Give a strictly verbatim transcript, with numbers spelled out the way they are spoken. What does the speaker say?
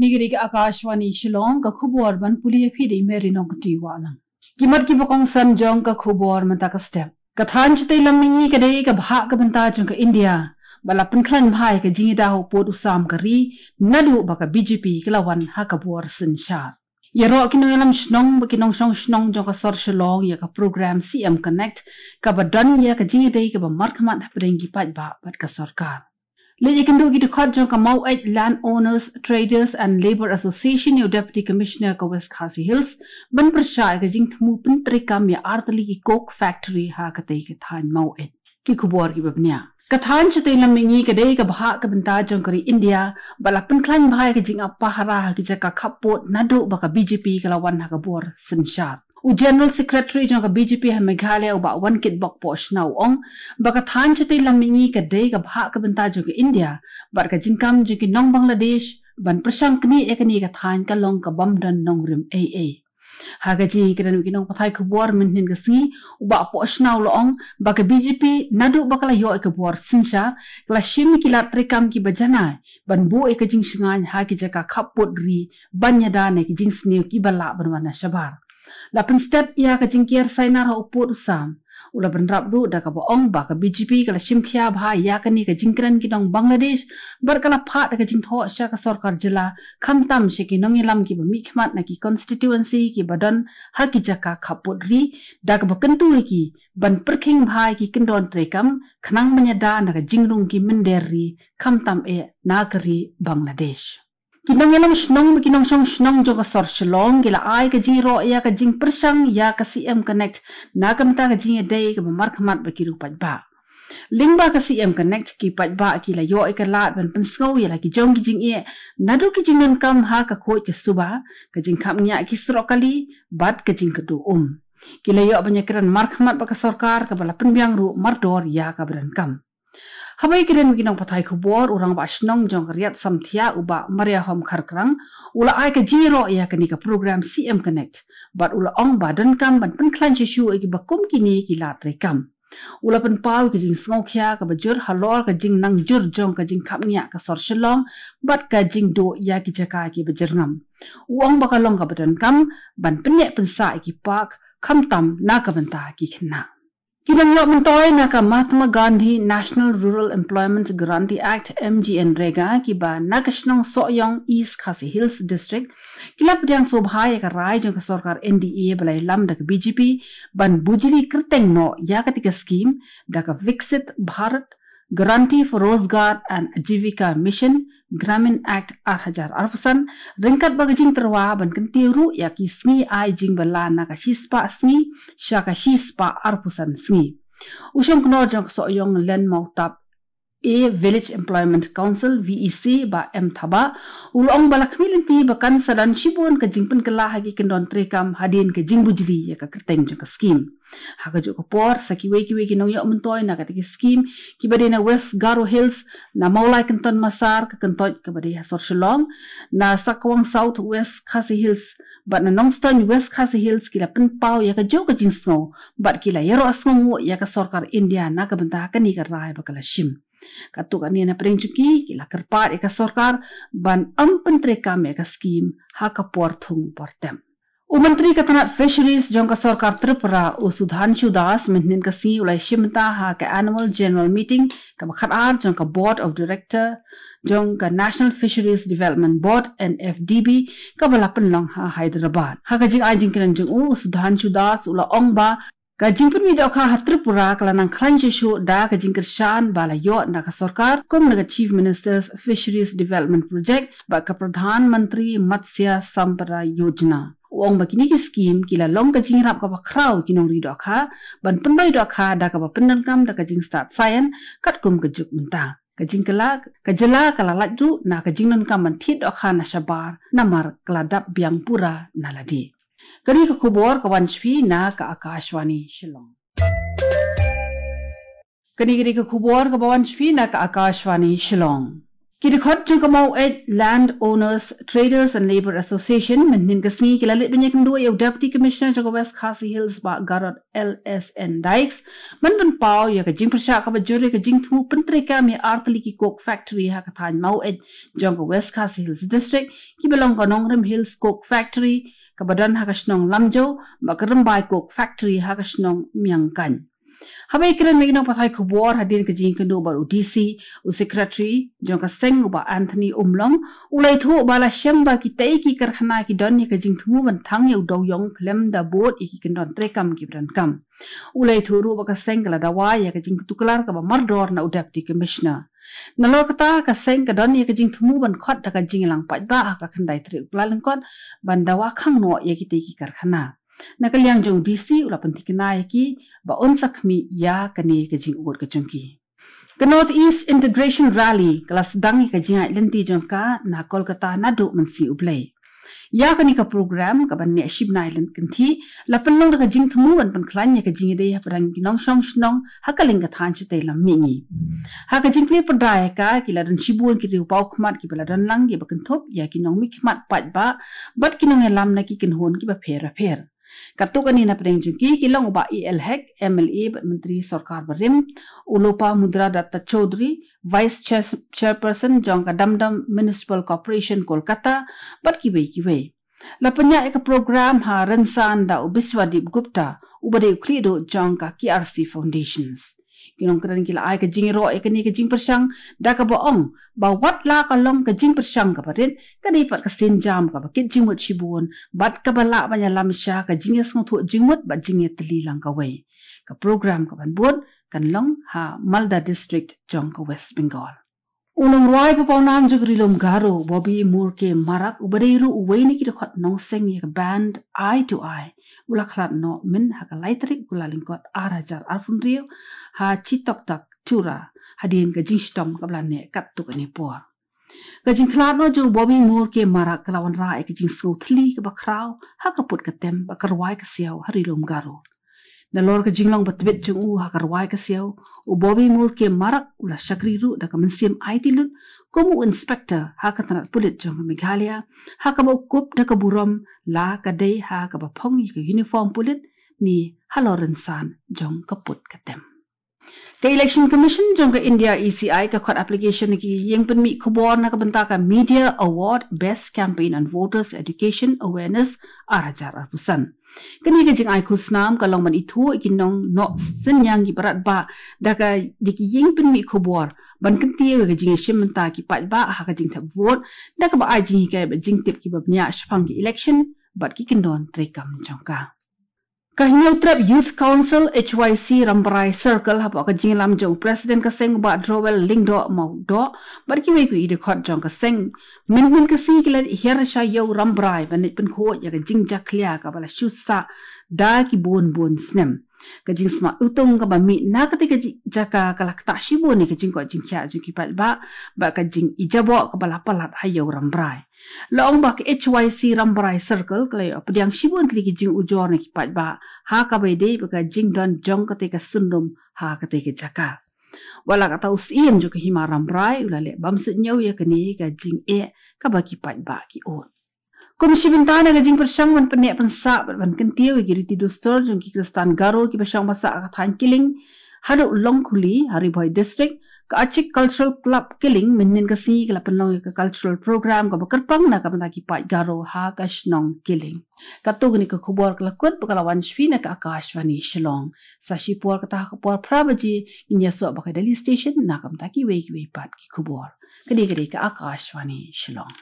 Kane ka dei ka Akashvani Shillong, ka khubor ban pule ïa phi da i Mary Nongkti Wahlang. Ki mat kiba kongsan jong ka khubor mynta ka step. Ka thaiñ shatei lam mihngi ka dei ka bhah ka bynta jong ka India bad la pynkhlaiñ bha ïa ka jingïada ha u pud u sam ka ri naduh ba ka B J P ka la wan ha ka bor synshar. Ïaroh ki nongïalam shnong bad ki nongshong shnong jong ka sor Shillong ïa ka program C M Connect kaba don ïa ka jingïadei kaba markhmat hapdeng ki paidbah bad ka sorkar. Leit ïakynduh ki dkhot jong ka Maweit Land Owners, Traders and Labour Association ïa u Deputy Commissioner ka West Khasi Hills ban pyrshah ïa ka jingthmu pyntreikam ïa artylli ki coke factory ha katei ka thaiñ Maweit. Ki khubor kiba bniah. Ka thaiñ shatei lam mihngi ka dei ka bhah ka bynta jong ka ri India bad la pynkhlaiñ bha ïa ka jingap pahara ha ki jaka khappud naduh ba ka B J P ka la wan ha ka bor synshar. U General Secretary jong ka B J P ha Meghalaya, u Bah Wankitbok Pohshna, u ong ba ka thaiñ shatei lam mihngi ka dei ka bhah ka bynta jong ka India bad ka jingkam jong ki nong Bangladesh ban pyrshang knieh ïa kane ka thaiñ ka long ka bym don nongrim ei ei. Ha ka jingïakren bad ki nongpathai khubor mynhynnin ka sngi, u Bah Pohshna u la ong ba ka B J P naduh ba ka la ïoh ïa ka bor synshar ka la shim ïa ki lad treikam kiba janai ban buh ïa ka jingshngaiñ ha ki jaka khappud ri ban ïada na ki jingsniew kiba lah ban wan na shabar. La pynstet ïa ka jingker sainar ha u pud u sam. U la bynrap ruh da kaba ong ba ka B J P ka la shim khia bha ïa kane ka jingkren ki nong Bangladesh bad ka la phah da ka jingthoh sha ka sorkar jylla khamtam sha ki nongïalam kiba mihkhmat na ki constituency kiba don ha ki jaka khappud ri da kaba kyntu ïa ki ban pyrkhing bha ïa ki kyndon treikam khnang ban ïada na ka jingrung ki mynder ri khamtam eh na ka ri Bangladesh. Ki nongïalam shnong bad ki nongshong shnong jong ka sor Shillong ki la ai ka jingïaroh ïa ka jingpyrshang ïa ka C M Connect na ka bynta ka jingïadei kaba markhmat bad ki riew paidbah. Lyngba ka C M Connect ki paidbah ki la ïoh ïa ka lad ban pynsngew ïa la ki jong ki jingeh naduh ki jingdonkam ha ka khuid ka suba, ka jingkhapngiah ki surok kali bad ka jingkyrduh um. Ki la ïoh ban ïakren markhmat bad ka sorkar kaba la pynbiang ruh mardor ïa kaba donkam. Haba ïakren bad ki nongpathai khubor, u Rangbah Shnong jong ka Riat Samthiah, u Bah Mariahom Kharkrang, u la ai ka jingïaroh ïa kane ka program C M Connect bad u la ong ba donkam ban pynkhlaiñ shuh shuh ïa kiba kum kine ki lad treikam. U la pynpaw ïa ka jingsngewkhia kaba jur halor ka jingnang jur jong ka jingkhapngiah ka sor Shillong bad ka jingduh ïa ki jaka kiba jyrngam. U ong ba ka long kaba donkam ban pynïaid pynsah ïa ki park khamtam na ka bynta ki khynnah. Ki nongïoh myntoi na ka Mahatma Gandhi National Rural Employment Guarantee Act, M G N rega, kiba na ka shnong Sohiong, East Khasi Hills District, ki la pdiang sngewbha ïa ka rai jong ka sorkar N D A ba la ïalam da ka B J P ban bujli kyrteng noh ïa katei ka skim da ka Viksit Bharat Guarantee for Rozgar and Ajivika Mission Gramin Act ar hajar arphew san, ryngkat bad ka jingtyrwa ban kyntiew ruh ïa ki sngi ai jingbylla na ka shispah sngi sha ka shispah arphew san sngi. U shongknor jong ka Sohiong Lynmawtap A Village Employment Council, V E C, Bah M Thabah, u la ong ba la khmih lynti ba kan sa don shibun ka jingpynkylla ha ki kyndon treikam hadien ka jingbujli ïa ka kyrteng jong ka skim. Ha kajuh ka por, sa kiwei kiwei ki nongïoh myntoi na katei ka skim, kiba dei na West Garo Hills, na Mawlai Kynton Massar, ka Kyntoit kaba dei ha sor Shillong, na Sakwang South West Khasi Hills bad na Nongstoiñ West Khasi Hills, ki la pynpaw ïa kajuh ka jingsngew bad ki la ïaroh sngewnguh ïa ka sorkar India na ka bynta kane ka rai ba ka la shim. Katto katne na pdeng jong ki, ki la kyrpad ïa ka sorkar ban ym pyntreikam ïa ka skim ha ka por thung por tem. U Myntri ka tnat Fisheries jong ka sorkar Tripura, u Sudhanshu Das, mynhynnin ka sngi u la ïashim bynta ha ka Annual General Meeting kaba khatar jong ka Board of Director jong ka National Fisheries Development Board, N F D B, kaba la pynlong ha Hyderabad. Ha ka jingai jingkren jong u, u Sudhanshu Das u la ong ba ka jingpynmih dohkha ha Tripura ka la nang khlaiñ shuh shuh da ka jingkyrshan ba la ïoh na ka sorkar kum na ka Chief Minister's Fisheries Development Project bad ka Pradhan Mantri Matsya Sampada Yojana. U ong ba kine ki skim ki la long ka jingïarap kaba khraw ïa ki nongri dohkha ban pynroi dohkha da kaba pyndonkam da ka jingstad saian katkum ka juk mynta. Ka jingkylla, ka jylla ka la lait ruh na ka jingdonkam ban thied dohkha na shabar namar ka la dap biang pura na lade. Kane ka khubor ka wan sha phi na ka Akashvani Shillong. Kane ka dei ka khubor kaba wan sha phi na ka Akashvani Shillong. Ki dkhot jong ka Maweit Land Owners, Traders and Labour Association mynhynnin ka sngi ki la leit ban ïakynduh ïa u Deputy Commissioner jong ka West Khasi Hills, Bah Garod L S N Dykes, ban pynpaw ïa ka jingpyrshah kaba jur ïa ka jingthmu pyntreikam ïa artylli ki coke factory ha ka thaiñ Maweit jong ka West Khasi Hills District, kiba long ka Nongrim Hills Coke Factory kaba don ha ka shnong Lamjaw, bad ka Rymbai Coke Factory ha ka shnong Miangkaiñ. Haba ïakren bad ki nongpathai khubor hadien ka jingïakynduh bad u D C, u Secretary jong ka seng, u Bah Anthony Umlong, u la ïathuh ba la shem ba kitei ki karkhana ki don ïa ka jingthmu ban thang ïa u dewïong khlem da bud ïa ki kyndon treikam kiba donkam. U la ïathuh ruh ba ka seng ka la dawa ïa ka jingtuklar kaba mardor na u Deputy Commissioner. Nalor kata, ka seng ka don ïa ka jingthmu ban khot da ka jingïalang paidbah ha ka khyndai tarik u Kyllalyngkot ban dawa khang noh ïa kitei ki karkhana. Na ka liang jong u D C, u la pynthikna ïa ki ba un sa khmih ïa kane ka jingud ka jong ki. Ka North East Integration Rally ka la sdang ïa ka jingïaid lynti jong ka na Kolkata naduh mynsngi U Blei. Ïa kane ka program kaba neh shi bnai lynti kynthih la pynlong da ka jingthmu ban pynkhlaiñ ïa ka jingïadei hapdeng ki nongshong shnong ha ka lyngkha thaiñ shatei lam mihngi. Ha ka jingplie pyrda ïa ka, ki la don shibun ki riew paw khmat kiba la don lang kiba kynthup ïa ki nongmihkhmat paidbah bad ki nongïalam na ki kynhun kiba pher bapher. Katto katne napdeng jong ki ki long u Bah A L Hek, M L A bad Myntri Sorkar Barim, u Lopamudra Datta Chaudhary, Vice Chair-, Chairperson jong ka Dum Dum Municipal Corporation Kolkata, bad kiwei kiwei. La pynïaid ïa ka program ha rynsan da u Biswadip Gupta, uba dei u khlieh duh jong ka K R C Foundations. Ki nongkren ki la ai ka jingïaroh ïa kane ka jingpyrshang da kaba ong ba wat la ka long ka jingpyrshang kaba rit, ka dei pat ka sienjam kaba kit jingmut shibun bad kaba lah ban ïalam sha ka jingïasngewthuh jingmut bad jingïatylli lang kawei. Ka program kaban bud kan long ha Malda District jong ka West Bengal. U nongrwai ba pawnam jong ka Ri Lum Garo, Bobby Murke Marak, uba dei ruh uwei na ki dkhot nongseng ïa ka band Eye to Eye, u la khlad noh mynha ka lai tarik u Kyllalyngkot ar hajar arphew hynriew ha Chitoktak, Tura, hadien ka jingshitom kaba la neh katto katne por. Ka jingkhlad noh jong u Bobby Murke Marak ka la wanrah ïa ka jingsngew thylli kaba khraw ha ka put ka tem bad ka rwai ka siaw ha Ri Lum Garo. Nalor ka jinglong ba tbit jong u ha ka rwai ka siaw, u Bobby Murke Marak u la shakri ruh da ka mynsiem aiti lut kum u inspector ha ka tnat pulit jong ka Meghalaya, ha kaba u kup da ka burom la ka dei ha kaba phong ïa ka uniform pulit ne halor rynsan jong ka put ka tem. Ka Election Commission jong ka India, E C I, ka khot application na ki ïing pynmih khubor na ka bynta ka Media Award Best Campaign on Voters Education Awareness ar hajar arphew san. Kane ka jingai khusnam ka long ban ithuh ïa ki nongnoh synñiang kiba radbah da ka, da ki ïing pynmih khubor ban kyntiew ïa ka jingïashim bynta ki paidbah ha ka jingthep vote, da kaba ai jinghikai bad jingtip kiba bniah shaphang ki election bad ki kyndon treikam jong ka. Ka Hynñiewtrep Youth Council, H Y C, Rambrai Circle, hapoh ka jingïalam jong u President ka seng, u Bah Drowell Lyngdoh Mawdoh, bad kiwei kiwei ki dkhot jong ka seng, mynhynnin ka sngi ki la hiar sha Ïew Rambrai ban leit pynkhuid ïa ka jingjakhlia kaba la shu sah da ki bun bun snem. Ka jingsma iwtung kaba mih na katei ka ji-, jaka ka la ktah shibun ïa ka jingkoit jingkhiah jong ki paidbah bad ka jingijaboh kaba la palat ha Ïew Rambrai. La ong ba ka H Y C Rambrai Circle ka la ïoh pdiang shibun tylli ki jingujor na ki paidbah ha kaba ïadei bad ka jingdon jong katei ka syndon ha katei ka jaka. Wat la katta, u Syiem jong ka Hima Rambrai u la leh bamsut ñiew ïa kane ka jingeh kaba ki paidbah ki ud. Kum shi bynta na ka jingpyrshang ban pynneh pynsah bad ban kyntiew ïa ki riti dustur jong ki Khristan Garo kiba shong ba sah ha ka thaiñ Killing haduh Longkhuli ha Ri Bhoi District, ka Achik Cultural Club Killing mynhynnin ka sngi ka la pynlong ïa ka cultural program kaba kyrpang na ka bynta ki paid Garo ha ka shnong Killing. Katto katne ka khubor ka la kut bad ka la wan sha phi na ka Akashvani Shillong. Sa shipor kata ha ka por phra baje ngin ïasoh bad ka Delhi Station na ka bynta kiwei kiwei pat ki khubor. Ka dei, ka dei ka Akashvani Shillong.